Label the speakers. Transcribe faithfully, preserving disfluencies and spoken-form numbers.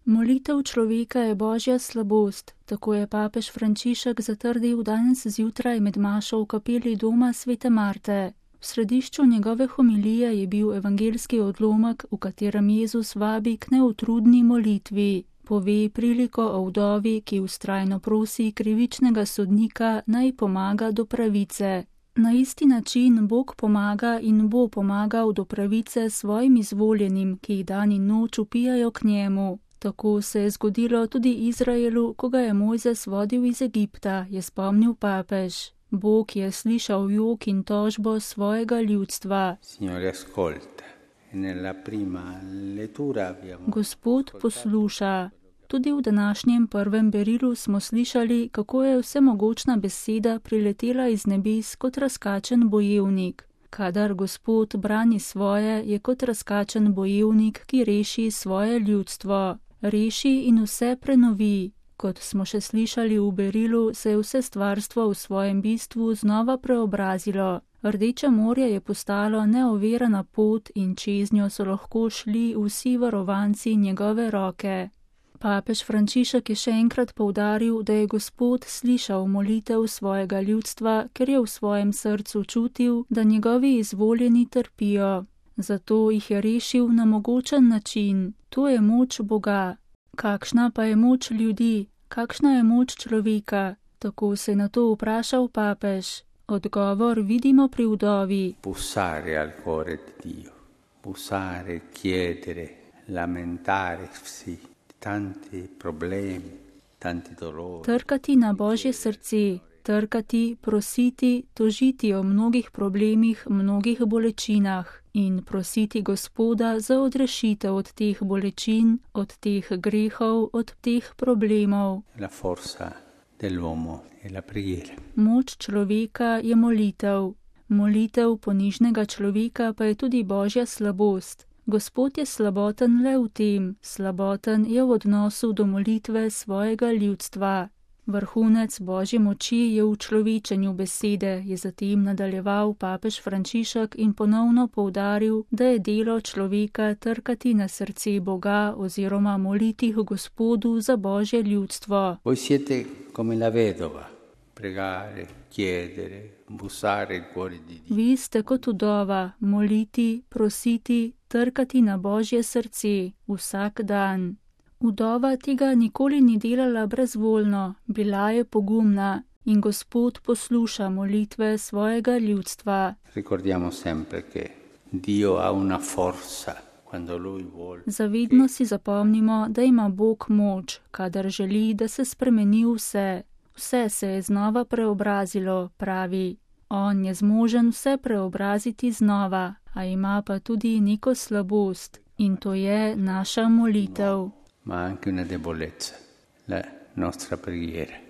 Speaker 1: Molitev človeka je božja slabost, tako je papež Frančišek zatrdil danes zjutraj med mašo v kapeli doma svete Marte. V središču njegove homilije je bil evangeljski odlomek, v katerem Jezus vabi k neutrudni molitvi. Pove priliko o vdovi, ki vztrajno prosi krivičnega sodnika, naj pomaga do pravice. Na isti način Bog pomaga in bo pomagal do pravice svojim izvoljenim, ki jih dan in noč upijajo k njemu. Tako se je zgodilo tudi Izraelu, ko ga je Mojzes vodil iz Egipta, je spomnil papež. Bog je slišal jok in tožbo svojega ljudstva. Gospod posluša. Tudi v današnjem prvem berilu smo slišali, kako je vsemogočna beseda priletela iz nebes kot razkačen bojevnik. Kadar Gospod brani svoje, je kot razkačen bojevnik, ki reši svoje ljudstvo. Reši in vse prenovi. Kot smo še slišali v berilu, se je vse stvarstvo v svojem bistvu znova preobrazilo. Rdeče morje je postalo neovirana pot in čez njo so lahko šli vsi varovanci njegove roke. Papež Frančišek je še enkrat poudaril, da je Gospod slišal molitev svojega ljudstva, ker je v svojem srcu čutil, da njegovi izvoljeni trpijo. Zato jih je rešil na mogočen način. To je moč Boga. Kakšna pa je moč ljudi? Kakšna je moč človeka? Tako se je na to vprašal papež. Odgovor vidimo pri vdovi.
Speaker 2: Bussare al cuore di Dio. Bussare, chiedere, lamentare si. Tanti problemi, tanti dolori.
Speaker 1: Trkati na Božje srce, trkati, prositi, tožiti o mnogih problemih, mnogih bolečinah in prositi Gospoda za odrešitev od teh bolečin, od teh grehov, od teh problemov.
Speaker 2: La forza dell'uomo è la preghiera.
Speaker 1: Moč človeka je molitev. Molitev ponižnega človeka pa je tudi Božja slabost. Gospod je slaboten le v tem, slaboten je v odnosu do molitve svojega ljudstva. Vrhunec Božje moči je v človečenju besede, je zatem nadaljeval papež Frančišek in ponovno poudaril, da je delo človeka trkati na srce Boga oziroma moliti Gospodu za Božje ljudstvo.
Speaker 2: Voi siete come la vedova, pregare, chiedere, bussare il cuore di Dio.
Speaker 1: Vi ste kot vdova, moliti, prositi, trkati na Božje srce vsak dan. Vdova tega nikoli ni delala brezvoljno, bila je pogumna in Gospod posluša molitve svojega ljudstva.
Speaker 2: Ricordiamo sempre che Dio ha una forza quando lui vuole.
Speaker 1: Zavedno si zapomnimo, da ima Bog moč, kadar želi, da se spremeni vse. Vse se je znova preobrazilo, pravi. On je zmožen vse preobraziti znova, a ima pa tudi neko slabost in to je naša molitev.
Speaker 2: Ma anche una debolezza, la nostra preghiera.